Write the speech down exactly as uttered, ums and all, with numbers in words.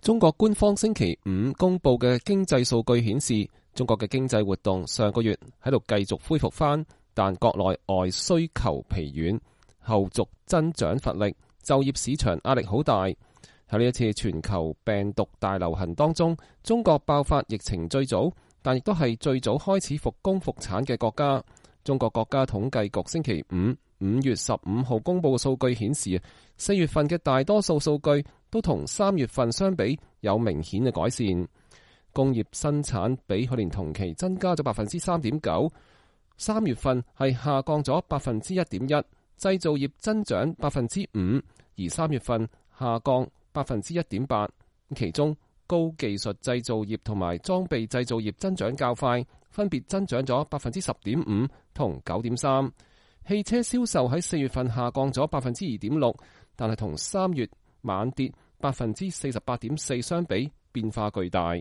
中國官方星期五公布嘅經濟數據顯示，中國嘅經濟活動上個月喺度繼續恢復翻，但國內外需求疲軟，後續增長乏力，就業市場壓力好大。喺呢一次全球病毒大流行當中，中國爆發疫情最早，但亦都係最早開始復工復產嘅國家。中國國家統計局星期五五月十五號公布嘅數據顯示，四月份嘅大多數數據都同三月份相比有明顯嘅改善。工業生產比去年同期增加咗百分之三點九，三月份係下降咗百分之一點一。製造業增長百分之五，而三月份下降百分之一點八。其中高技術製造業同埋裝備製造業增長較快，分別增長咗百分之十點五同九點三。汽車銷售喺四月份下降咗百分之二點六，但係同三月猛跌百分之四十八點四相比，變化巨大。